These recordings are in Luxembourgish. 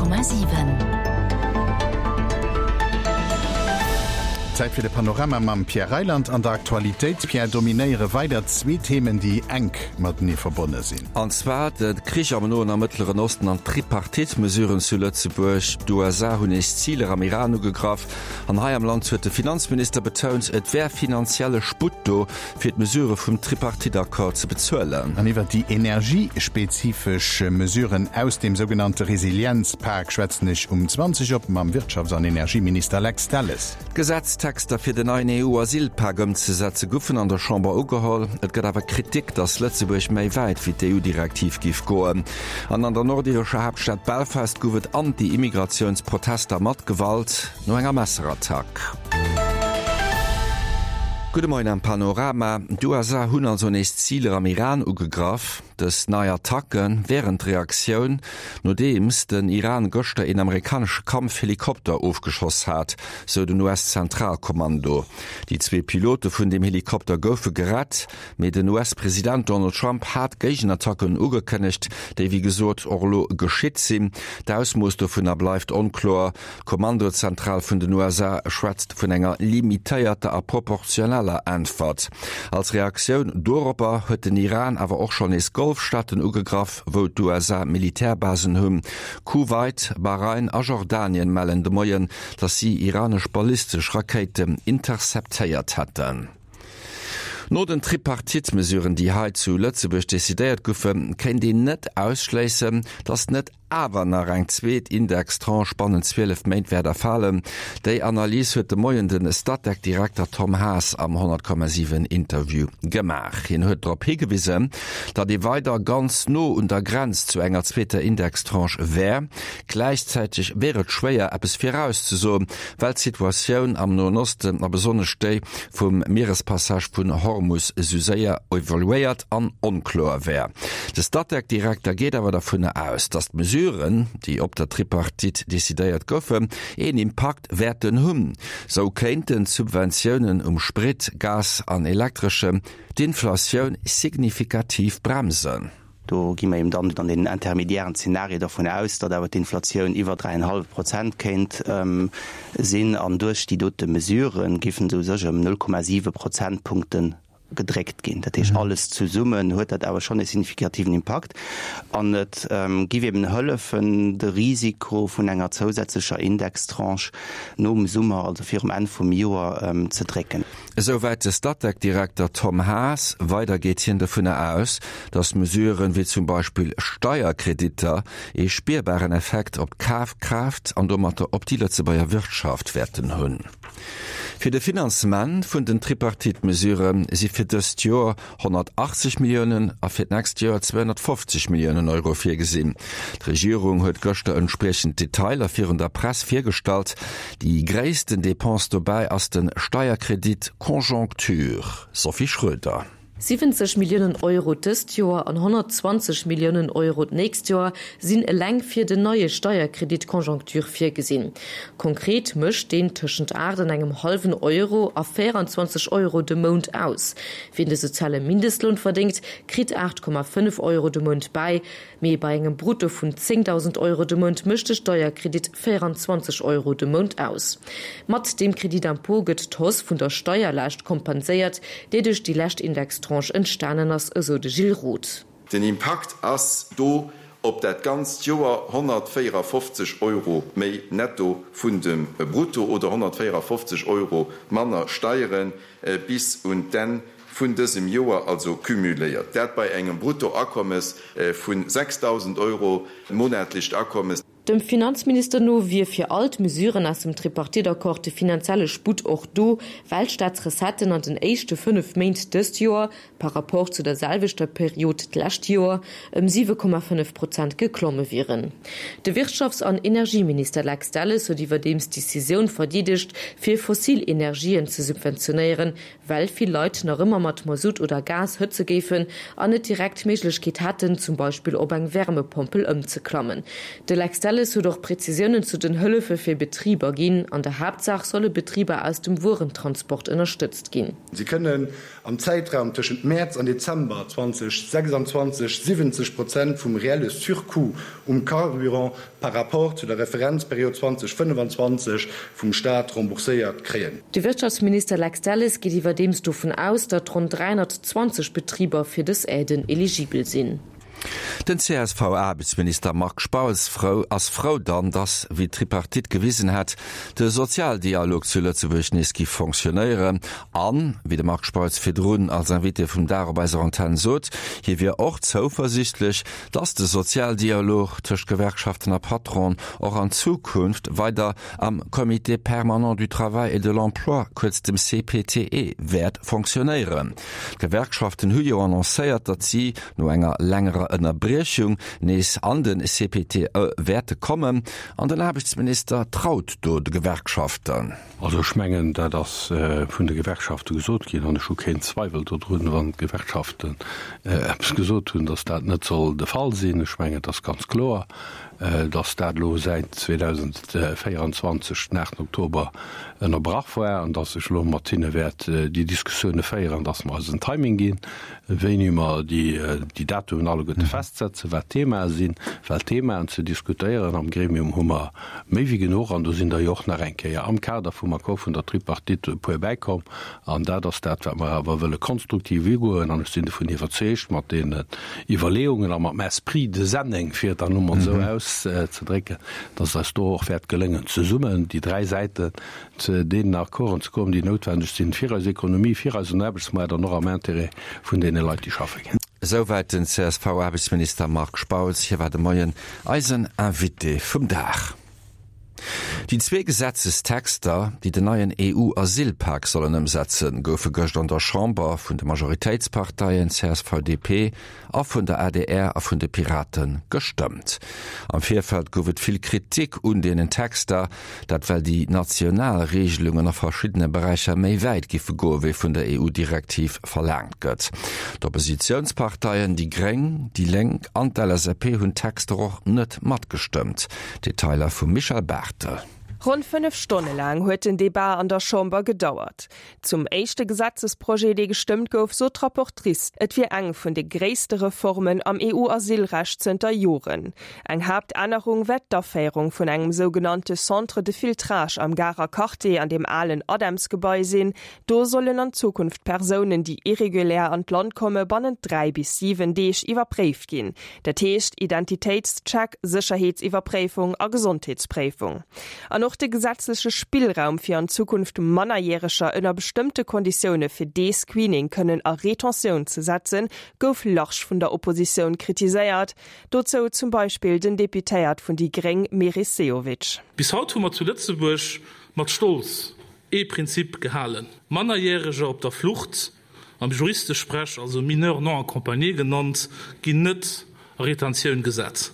100,7. Zäit fir de Panorama mam Pierre Reyland. An der Aktualitéit, Pierre, dominéiere weider zwee Themen, déi enk matenee verbonne sinn. An zwar de Krich am Noen a Mëttleren Osten an d'Tripartite-Mesuren zu Lëtzebuerg. D'USA hunn nees Ziler am Iran ugegraff. An hei am Land huet de Finanzminister betount, et wär finanzielle Sputt do, fir d'Mesurë vum Tripartite-Accord ze bezuelen. An iwwert déi energiespezifesch Mesuren aus dem sougenannte Resilienzpak schwätzen ech um 20 op mam Wirtschafts an Energieminister Lex Delles. D'Gesetztexter fir den neien EU-Asylpak ëmzesetze goufen an der Chamber ugeholl. Et gëtt awer Kritik, datt Lëtzebuerg méi wäit wéi d'EU-Direktiv géif goen. An an der nordirescher Haaptstad Belfast gouf et Anti-Immigratiouns-Protester mat Gewalt. No enger Messerattack. Gudde Moien am Panorama. D'USA hunn also nees Ziler am Iran ugegraff. Dës nei Attacke wären d'Reaktioun, nodeems den Iran gëschter een amerikanesche Kampfhelikopter ofgeschoss hat, sou den US-Zentralkommando. Déi zwee Pilote vun deem Helikopter goufe gerett. Mee den US-President Donald Trump hat Géigenattacken ugekënnegt, déi wéi gesot och elo geschitt sinn. D'Ausmooss dovunner bleift onkloer. D'Kommandozentral vun den USA schwätzt vun enger limitéierter a proportioneller Äntwert. Als Reaktioun doropper huet den Iran awer och schonn nees Golfstaaten ugegraff, wou d'USA Militärbasen hunn. Kuwait, Bahrain a Jordanien mellen de Moien, datt si iranesch ballistesch Rakéiten interceptéiert hätten. No den Tripartite-Mesuren, déi hei zu Lëtzebuerg decidéiert goufen, kéint een net ausschléissen, datt net awer nach eng zweet Indextranche bannent 12 Méint wäert erfalen. Déi Analys huet de Moien de Statec-Direkter Tom Haas am 100,7 Interview gemaach. Hien huet drop higewisen, datt ee weider ganz no un der Grenz zu enger zweeter Indextranche wär. Gläichzäiteg wier et schwéier, eppes virauszesoen, well d'Situatioun am Noen Osten a besonnesch déi vum Mierespassage vun Hormus esou séier evoluéiert an onkloer wär. De Statec-Direkter geet awer dervunner aus, datt d'Mesuren, déi op der Tripartite decidéiert goufen, een Impakt wäerten hunn. Sou kéinten d'Subventiounen um Sprit, Gas an Elektreschem d'Inflatioun signifikativ bremsen. Do gi mer eben dann an deenen intermédiairen Zenarie dervun aus, datt awer d'Inflatioun iwwer 3,5 Prozent kéint sinn. An duerch déi dote Mesurë géifen se u sech ëm 0,7 Prozentpunkte gedréckt ginn. Dat heescht, alles zesummen huet dat awer schonn e signifikativen Impakt. An et giff eben hëllefen, de Risiko vun enger zousätzlecher Indextranche nom Summer, also virum Enn vum Joer, ze drécken. Esouwäit de Statec-Direkter Tom Haas. Weider geet hien dovunner aus, datt Mesuren, wéi zum Beispill Steierkreditter, ee spierbaren Effekt op d'Kafkraaft an domatter op déi Lëtzebuerger Wirtschaft wäerten hunn. Fir de Finanzement vun den Tripartite-Mesurë si fir dëst Joer 180 Milliounen a fir d'nächst Joer 250 Milliounen Euro virgesinn. D'Regierung huet gëschter entspriechend Detailer virun der Press virgestallt. Déi gréissten Depense dobäi ass de Steierkredit Conjoncture. Sophie Schroeder. 70 Milliounen Euro dëst Joer an 120 Milliounen Euro d'nächst Joer sinn eleng fir den neie Steierkredit Conjoncture virgesinn. Konkret mécht deen tëschent 8 an engem hallwen Euro a 24 Euro de Mount aus. Wien de soziale Mindestloun verdéngt, kritt 8,5 Euro de Mount bäi, mee bei engem Brutto vun 10.000 Euro de Mount mécht de Steierkredit 24 Euro de Mount aus. Mat deem Crédit d'impôt gëtt d'Hausse vun der Steierlaascht kompenséiert, déi duerch déi lescht Indextranche entstanen ass, esou de Gilles Roth. Den Impakt ass do op dat ganzt Joer 154 Euro méi netto vun dem Brutto oder 154 Euro manner Steieren bis un d'Enn vun dësem Joer, also cumuléiert. Dat bei engem Bruttoakommes vu 6.000 Euro monatlecht Akommes. Dem Finanzminister no wier fir all d'Mesuren aus dem Tripartite-Accord de finanzielle Sputt och do, well d'Staatsrecetten an den éischte 5 Méint dëst Joer, par Rapport zu der selwechter Period d'lescht Joer, ëm 7,5 Prozent geklomme wieren. De Wirtschafts an Energieminister Lex Delles huet iwwerdeems d'Decisioun verdeedegt, fir fossil Energien ze subventionéieren, well vill Leit nach ëmmer mat Masutt oder Gas hëtze géifen an net direkt d'Méiglechkeet hätten, zum Beispill op eng Wärmepompel ëmzeklammen. De Lex Delles. Delles huet och Prezisiounen zu den Hëllefe fir Betriber ginn. An der Haaptsaach solle Betriber aus dem Wuerentransport ënnerstëtzt ginn. Si kënnen am Zäitraum tëschent Mäerz an Dezember 2026 70 Prozent vum reelle Surcoût um Carburant par rapport zu der Referenzperiod 2025 vum Staat rembourséiert kréien. De Wirtschaftsminister Lex Delles geet iwwerdeems dovun aus, datt ronn 320 Betriber fir dës Aiden eligibel sinn. Den CSV-Aarbechtsminister Marc Spautz frou ass frou dann, datt, wéi d'Tripartite gewisen hätt, de Sozialdialog zu Lëtzebuerg nees giff fonctionnéieren. An, wéi de Marc Spautz virdrun als Invité vum Dag op eiser Antenn sot, hie wier och zouversichtlech, datt de Sozialdialog tëscht Gewerkschaften a Patronen och an Zukunft weider am Comité permanent du travail et de l'emploi, kuerz dem CPTE, wäert fonctionnéieren. D'Gewerkschaften hu jo annoncéiert, datt si no enger längerer Ënnerbriechung nees an de CPTE wäerte kommen. An den Aarbechtsminister traut do de Gewerkschaften. Also ech mengen, dat ass vun de Gewerkschafte gesot ginn an ech hu keen Zweiwel dodrun, wann d'Gewerkschaften eppes gesot hunn, datt dat net soll de Fall sinn. Ech mengen, et ass ganz kloer, datt dat elo säit 2024 den 8 Oktober ënnerbrach war an datt ech elo mat hinne wäert déi Diskussioune féieren, datt mer eis en Timing ginn, wéini mer déi Datumen alleguerte festsetzen, wat d'Themae sinn, well Themaen ze diskutéieren am Gremium hu mer méi wéi genuch an do sinn der jo och nach eng Kéier am Kader vum Accord vun der Tripartite e puer bäikomm an dat ass dat, wat mer awer wëlle konstruktiv ugoen an ech sinn dovun iwwerzeegt, mat deenen Iwwerleeungen a mam Esprit de Senneng, fir et dann elo mol esou auszedrécken, dass et eis do och wäert geléngen, zesummen déi dräi Säiten zu deenen Accorden ze kommen, déi noutwendeg sinn fir eis Ekonomie, fir eisen Aarbechtsmaart an och am Intérêt vun deene Leit, déi schaffe ginn. Esouwäit den CSV-Aarbechtsminister Marc Spautz. Hie war de Moien eisen Invité vum Dag. Déi zwee Gesetzestexter, déi den neien EU-Asylpak sollen ëmsetzen, goufe gëscht an der Chamber vun de Majoritéitsparteien csv, DP a vun der adr a vun de Pirate gestëmmt. Am Virfeld gouf et vill Kritik un deenen Texter, dat well déi national Reegelungen a verschiddene Beräicher méi wäit giffe goe wéi vun der EU-Direktiv verlaangt gëtt. D'Oppositiounsparteien déi Gréng, déi Lénk an d'LSAP hunn d'Texter och net matgestëmmt. Detailer vum Michèle Barthel. Ronn 5 Stonne laang huet den Debat an der Chamber gedauert. Zum éischte Gesetzesprojet, dee gestëmmt gouf, sot d'Rapportrice, et wier eng vun de gréisste Reformen am EU-Asylrecht zënter Joren. Eng Haaptännerung wär d'Aféierung vun engem sougenannte Centre de filtrage am Garer Quartier an deem alen ADEMS-Gebai sinn. Do sollen an Zukunft Persounen, déi irregulär an d'Land komme bannent 3 bis 7 Deeg iwwerpréift ginn. Dat heescht Identitéitscheck, Sécherheetsiwwerpréifung a Gesondheetspréifung. An och de gesetzleche Spillraum, fir an Zukunft Mannerjäreger ënner bestëmmte Konditioune fir dee Screening kënnen a Retentioun ze setzen, gouf large vun der Oppositioun kritiséiert. Dozou zum Beispill den Deputéiert vun déi gréng Meris Sehovic. Bis haut hu mer zu Lëtzebuerg mat Stolz ee Prinzip gehalen, Mannerjäreger op der Flucht, am Juristesprech also Mineurs non accompagnés genannt, ginn net a Retentioun gesat.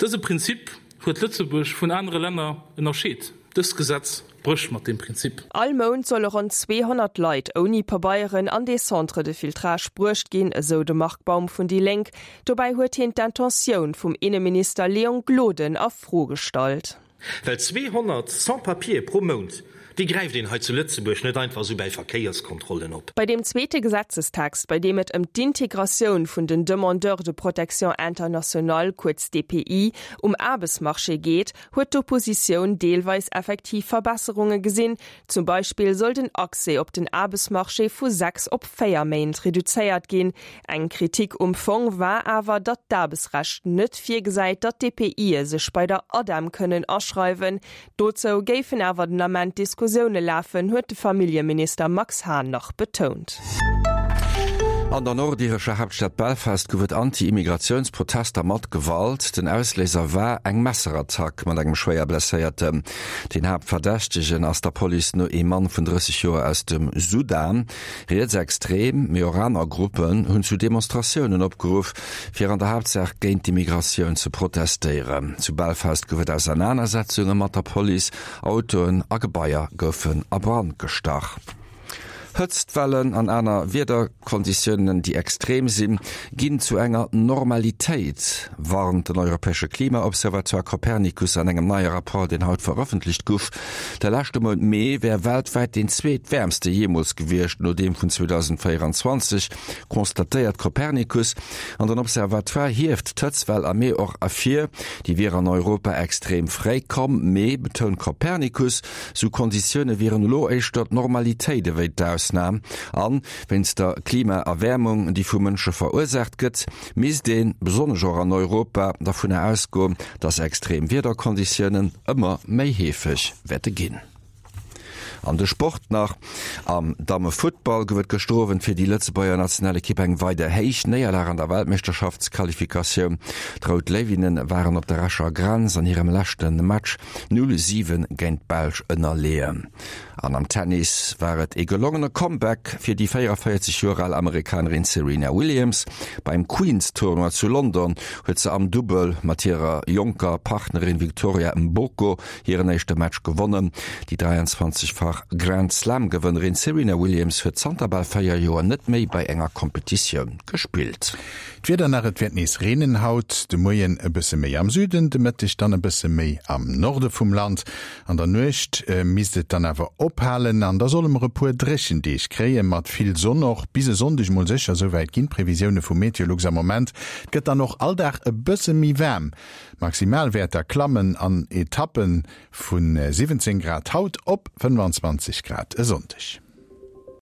Dëse Prinzip huet Lëtzebuerg vun anere Länner ënnerscheet. Dëst Gesetz brécht mat deem Prinzip. All Mount solle ronn 200 Leit ouni Pabeieren an dee Centre de filtrage bruecht ginn, esou de Marc Baum vun déi Lénk. Dobäi huet hien d'Intentioun vum Inneminister Léon Gloden a Fro gestallt. Well 200 Sans-papiers pro Mount, déi gräift een hei zu Lëtzebuerg net einfach esou bäi Verkéierskontrollen op. Bei deem zweete Gesetzestext, bei deem et ëm d'Integratioun vun den Demandeurs de protection internationale, kuerz DPI, um Aarbechtsmarché geet, huet d'Oppositioun deelweis effektiv Verbesserunge gesinn. Zum Beispill soll den Accès op den Aarbechtsmarché vu 6 op 4 Méint reduzéiert ginn. Eng Kritik um Fong war awer, datt d'Aarbechtsrecht net virgesäit, datt d'DPIe sech bei der ADEM kënnen aschreiwen. Dozou géifen awer den Ament Diskussioune lafen, huet de Familljeminister Max Hahn nach betount. An der nordirescher Haaptstad Belfast gouf et Anti-Immigratiouns-Protester mat Gewalt. Den Ausléiser war eng Messerattack mat engem schwéier Blesséierten. Den Haaptverdächtegen ass der Police no ee Mann vun 30 Joer aus dem Sudan. Rietsextrem, mee och aner Gruppen hunn zu Demonstratiounen opgeruff, fir an der Haaptsaach géint d'Immigratioun ze protestéieren. Zu Belfast gouf et Ausernanersetzunge mat der Police, Autoen a Gebaier goufen a Brand gestach. Hëtztwellen an aner Wiederkonditiounen, déi extrem sinn, ginn zu enger Normalitéit, warnt den europäesche Klimaobservatoire Copernicus an engem neie Rapport, deen haut verëffentlecht guff. De leschte Mount Mee wär weltwäit deen zweetwäermste jeemools gewiescht, no deem vun 2024, constatéiert Copernicus. An den Observatoire hieft d'Hëtztwell am Mee och ervir. Déi wier an Europa extrem fréi komm, mee, betount Copernicus, sou Konditioune wieren elo éischter d'Normalitéit ewéi d'Ausnam. An, wéinst der Klimaerwäermung, déi vu Mënsche verursaacht gëtt, misst een, besonnesch och an Europa, dervunner ausgoen, datt extrem Wiederkonditiounen ëmmer méi heefeg wäerte ginn. An de Sport nach, Am Dammefuttball gouf et gëschter Owend fir déi Lëtzebuerger Nationalekipp eng weider héich Néierlag an der Weltmeeschterschaftsqualifikatioun. D'Rout Léiwinne waren op der Escher Grenz an hirem leschte Match 0, 7 géint d'Belsch ënnerleeën. An am Tennis war et ee gelongene Comeback fir déi 44 Joer al Amerikanerin Serena Williams. Beim Queens-Tournoi zu London huet se am Dubbel mat hirer jonker Partnerin Victoria Mboko hiren éischte Match gewonnen. Déi 23-fach Grand-Slam-Gewënnerin Serena Williams huet zanter bal 4 Joer net méi bei enger Kompetitioun gespillt. D'Wieder nach, Et wäert nees reenen haut de Moien, e bësse méi am Süden, de Mëtteg dann e bësse méi am Norde vum Land. An der Nuecht misst et dann awer ophalen an da solle mer e puer dréchen Deeg kréie mat vill Sonn och bis e Sonndeg mol sécher, souwäit ginn d'Previsioune vu Meteolux am Moment. Et gëtt dann och all Dag e bësse méi waarm, Maximalwäerter klammen an Etappe vu 17 Grad haut op 25 Grad e Sonndeg.